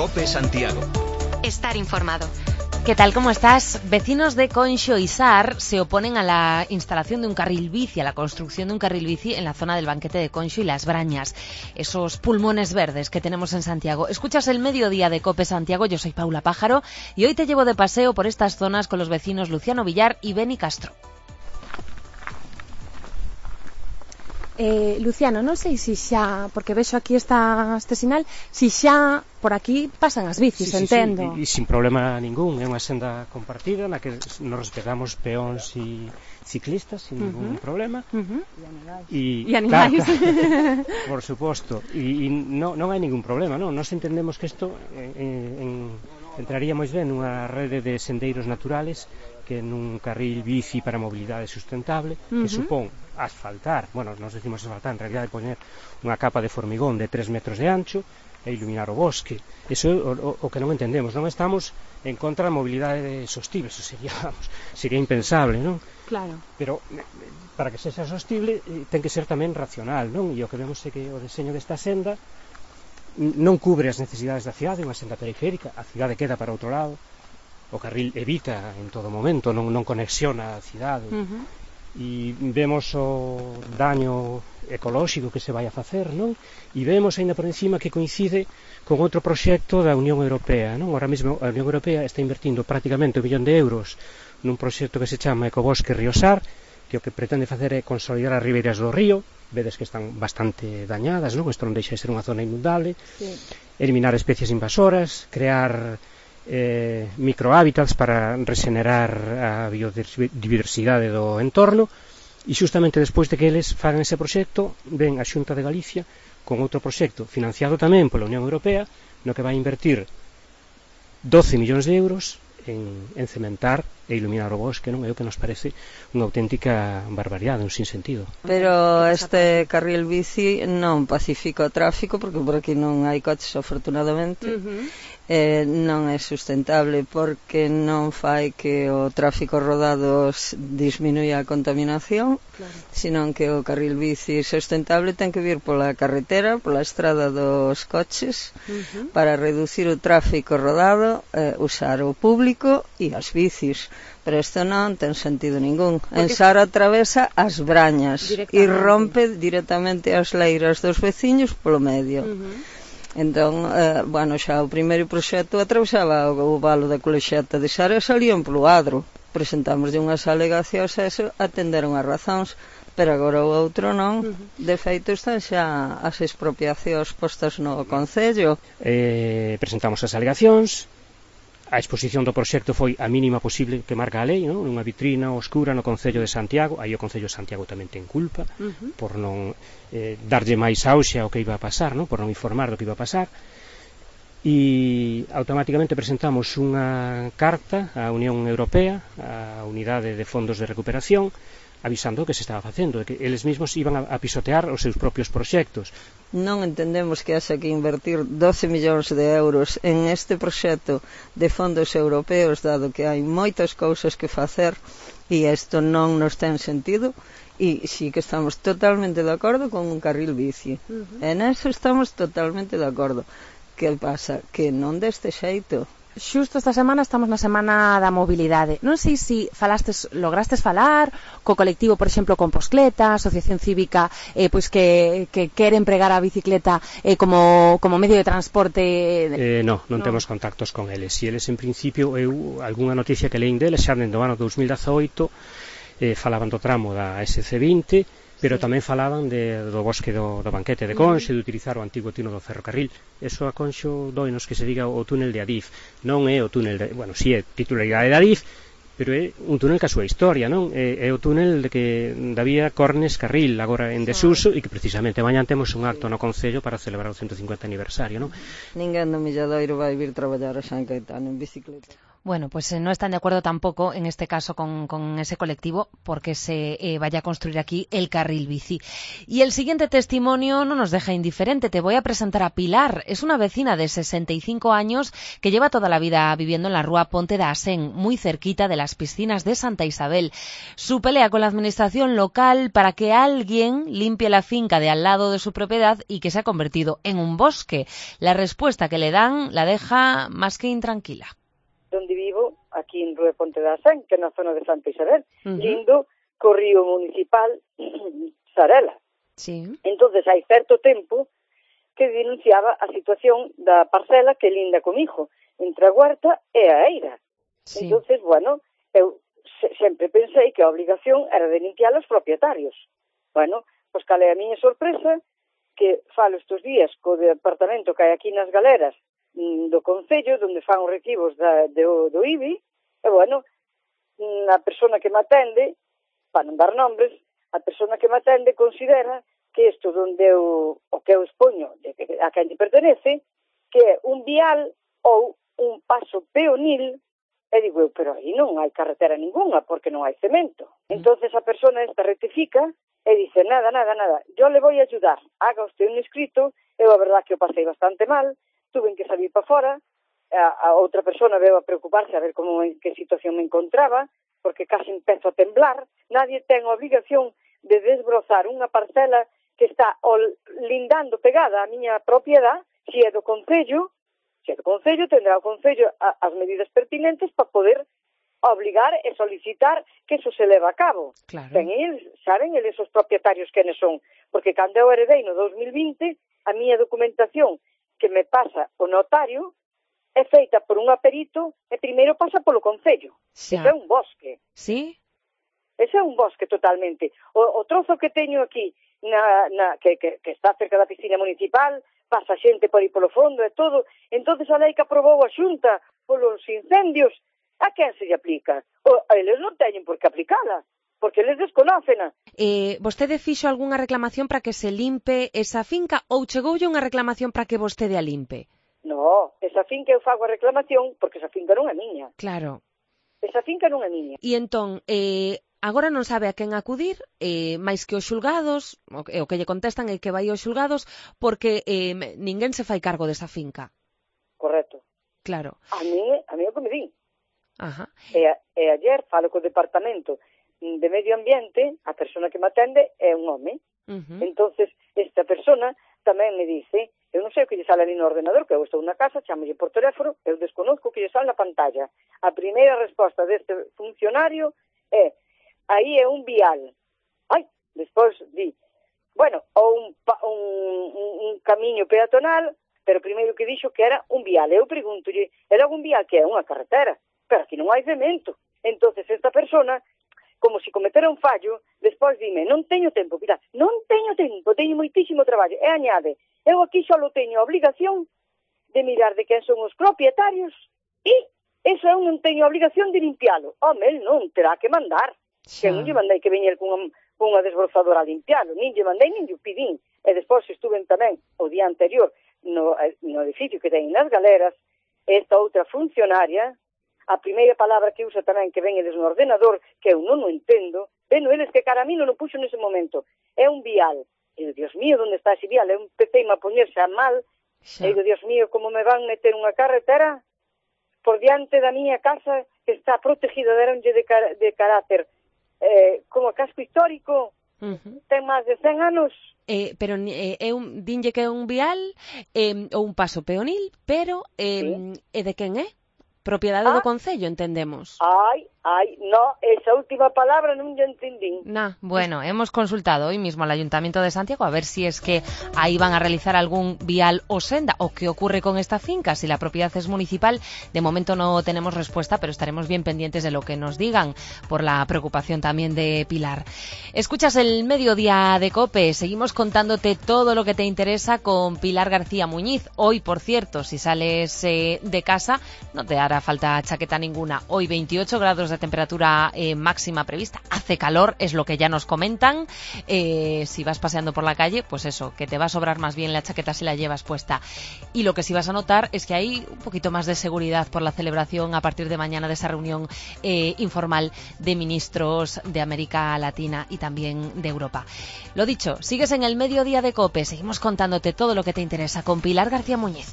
COPE Santiago. Estar informado. ¿Qué tal? ¿Cómo estás? Vecinos de Conxo y Sar se oponen a la instalación de un carril bici, a la construcción de un carril bici en la zona del Banquete de Conxo y Las Brañas, esos pulmones verdes que tenemos en Santiago. Escuchas el mediodía de COPE Santiago, yo soy Paula Pájaro y hoy te llevo de paseo por estas zonas con los vecinos Luciano Villar y Beni Castro. Luciano, non sei se xa, porque vexo aquí este sinal, se xa por aquí pasan as bicis, entendo. Sí, sin problema ningún, é unha senda compartida na que nos respetamos peóns e ciclistas sin ningún problema. E animais. Claro, por suposto, e non hai ningún problema, non? Nos entendemos que isto entraría moi ben nunha rede de sendeiros naturales que nun carril bici para mobilidade sustentable, que supón asfaltar, bueno, nos decimos asfaltar, en realidad poñer unha capa de formigón de 3 metros de ancho e iluminar o bosque. Eso é o que non entendemos, non estamos en contra da mobilidade sostible, eso sería impensable, non? Claro. Pero para que sexa sostible ten que ser tamén racional, non? E o que vemos é que o deseño desta senda non cubre as necesidades da cidade, unha senda periférica, a cidade queda para outro lado, o carril evita en todo momento, non conexiona a cidade. E vemos o daño ecolóxico que se vai a facer, non? E vemos aínda por encima que coincide con outro proxecto da Unión Europea, non? Ahora mesmo a Unión Europea está invertindo prácticamente 1 millón de euros nun proxecto que se chama Ecobosque Río Sar, que o que pretende facer é consolidar as ribeiras do río, vedes que están bastante dañadas, non? Isto non deixa de ser unha zona inundable, eliminar especies invasoras, crear microhábitats para regenerar a biodiversidade do entorno, e xustamente despois de que eles fagan ese proxecto ven a Xunta de Galicia con outro proxecto financiado tamén pola Unión Europea no que vai invertir 12 millóns de euros en cementar e iluminar o bosque, non? É o que nos parece unha auténtica barbaridade, un sinsentido. Pero este carril bici non pacifica o tráfico, porque por aquí non hai coches, afortunadamente. Non é sustentable porque non fai que o tráfico rodado disminuya a contaminación, senón que o carril bici sustentable ten que vir pola carretera, pola estrada dos coches, para reducir o tráfico rodado, usar o público e as bicis. Pero isto non ten sentido ningún. En Sar atravesa as Brañas e rompe directamente as leiras dos veciños polo medio. Entón, bueno, xa o primeiro proxecto atravesaba o valo da Colexeta de Sar e salían polo Adro. Presentamos unhas alegacións a eso, atenderon as razóns, pero agora o outro non. De feito, están xa as expropiacións postas no Concello. Presentamos as alegacións. A exposición do proxecto foi a mínima posible que marca a lei, non? Unha vitrina oscura no Concello de Santiago. Aí o Concello de Santiago tamén ten culpa por non darlle máis auxe ao que iba a pasar, non? Por non informar do que iba a pasar. E automáticamente presentamos unha carta á Unión Europea, á Unidade de Fondos de Recuperación, avisando o que se estaba facendo, que eles mesmos iban a pisotear os seus propios proxectos. Non entendemos que haxa que invertir 12 millóns de euros en este proxecto de fondos europeos, dado que hai moitas cousas que facer e isto non nos ten sentido, e sí que estamos totalmente de acordo con un carril bici. En eso estamos totalmente de acordo. Que pasa? Que non deste xeito. Xusto esta semana estamos na semana da mobilidade. Non sei se lograstes falar co colectivo, por exemplo, Composcleta, asociación cívica, pois que quere empregar a bicicleta como medio de transporte. Non temos contactos con eles. E eles, en principio, algunha noticia que leín deles xa dentro do ano 2018 falaban do tramo da SC20, pero tamén falaban do bosque do Banquete de Conxo, de utilizar o antigo túnel do ferrocarril. Eso a Conxo doinos que se diga o túnel de Adif. Non é o túnel bueno, si é titularidade de Adif, pero é un túnel que a súa historia, non? É o túnel da vía Cornes Carril, agora en desuso, e que precisamente mañan temos un acto no Concello para celebrar o 150 aniversario, non? Ninguén do Milladoiro vai vir traballar a San Caetano en bicicleta. Bueno, pues no están de acuerdo tampoco, en este caso, con ese colectivo, porque se vaya a construir aquí el carril bici. Y el siguiente testimonio no nos deja indiferente. Te voy a presentar a Pilar. Es una vecina de 65 años que lleva toda la vida viviendo en la Rúa Ponte da Asén, muy cerquita de las piscinas de Santa Isabel. Su pelea con la administración local para que alguien limpie la finca de al lado de su propiedad y que se ha convertido en un bosque. La respuesta que le dan la deja más que intranquila. Donde vivo, aquí en Rúa Ponte da Asén, que é na zona de Santa Isabel, lindo co río municipal Sarela. Sí. Entonces, hai certo tempo que denunciaba a situación da parcela que linda comigo, entre a huerta e a eira. Sí. Entonces, bueno, eu sempre pensei que a obligación era de limpiar os propietarios. Bueno, pois cal é a miña sorpresa, que falo estes días co departamento que hai aquí nas galeras do Concello, onde fan os recibos do IBI, e, bueno, a persona que me atende, para non dar nombres, a persona que me atende considera que isto onde o que eu expoño a quen te pertenece, que é un vial ou un paso peonil, e digo eu, pero aí non hai carretera ninguna, porque non hai cemento. Entonces a persona esta rectifica e dice, nada, yo le voy a ayudar, haga usted un escrito. Eu a verdad que o pasei bastante mal, tuve que salir para fora, a outra persona veo a preocuparse a ver en que situación me encontraba, porque casi empezo a temblar. Nadie ten a obligación de desbrozar unha parcela que está lindando pegada á miña propiedade. Se é do Concello, tendrá o Concello as medidas pertinentes para poder obligar e solicitar que eso se leva a cabo. Claro. Saben eles os propietarios quenes son, porque cando eu heredei no 2020, a miña documentación que me pasa o notario é feita por un aperito e primeiro pasa polo Concello. Ese é un bosque. Sí? Ese é un bosque totalmente. O trozo que teño aquí, que está cerca da piscina municipal, pasa xente por aí polo fondo e todo. Entonces a lei que aprobou a Xunta polos incendios, a quen se lle aplica? Eles non teñen por que aplicala, porque eles desconócena. Vostede fixo algunha reclamación para que se limpe esa finca ou chegoulle unha reclamación para que vostede a limpe? No, esa finca eu fago a reclamación porque esa finca non é miña. Claro. Esa finca non é miña. E entón, agora non sabe a quen acudir, máis que os xulgados, o que lle contestan é que vai aos xulgados porque ninguén se fai cargo desa finca. Correcto. Claro. A mí o que me din. Ajá. E ayer falo co departamento de Medio Ambiente, a persona que me atende é un home. Entonces, esta persona tamén me dice, eu non sei o que lle sale ali no ordenador, que eu estou na casa, chámolle por teléfono, eu desconozco o que lle sale na pantalla. A primeira resposta deste funcionario é, aí é un vial. Despois di, bueno, ou un camiño peatonal, pero primeiro que dixo que era un vial. Eu preguntolle, era un vial que é unha carretera, pero aquí non hai cemento. Entonces esta persona, como se cometera un fallo, despois dime, non teño tempo, Pilar, non teño tempo, teño moitísimo traballo. E añade, eu aquí só teño a obligación de mirar de quen son os propietarios e eso eu non teño a obligación de limpialo. Home, el non terá que mandar. Que non lle mandei que veñer cunha desbrozadora a limpialo, nin lle mandei, nin lle pidín. E despois estuve tamén o día anterior no edificio que ten nas galeras, esta outra funcionaria, a primeira palabra que usa tamén que ven eles no ordenador, que eu non o entendo, veno eles que cara a mí non o puxo nese momento, é un vial. E Dios mío, onde está ese vial? Eu empecé a poñerse a mal, e digo, Dios mío, como me van meter unha carretera por diante da miña casa que está protegida, deronlle de carácter como casco histórico, ten máis de 100 anos. Pero dinlle que é un vial ou un paso peonil, pero Sí. E de quen é? Propiedade do Concello, entendemos. No, esa última palabra non lle entendín. Bueno, hemos consultado hoy mismo al Ayuntamiento de Santiago a ver si es que ahí van a realizar algún vial o senda o qué ocurre con esta finca, si la propiedad es municipal. De momento no tenemos respuesta, pero estaremos bien pendientes de lo que nos digan por la preocupación también de Pilar. Escuchas el Mediodía de COPE, seguimos contándote todo lo que te interesa con Pilar García Muñiz. Hoy, por cierto, si sales de casa, no te hará hará falta chaqueta ninguna. Hoy 28 grados de temperatura máxima prevista. Hace calor, es lo que ya nos comentan. Si vas paseando por la calle, pues eso, que te va a sobrar más bien la chaqueta si la llevas puesta. Y lo que sí vas a notar es que hay un poquito más de seguridad por la celebración a partir de mañana de esa reunión informal de ministros de América Latina y también de Europa. Lo dicho, sigues en el Mediodía de COPE. Seguimos contándote todo lo que te interesa con Pilar García Muñiz.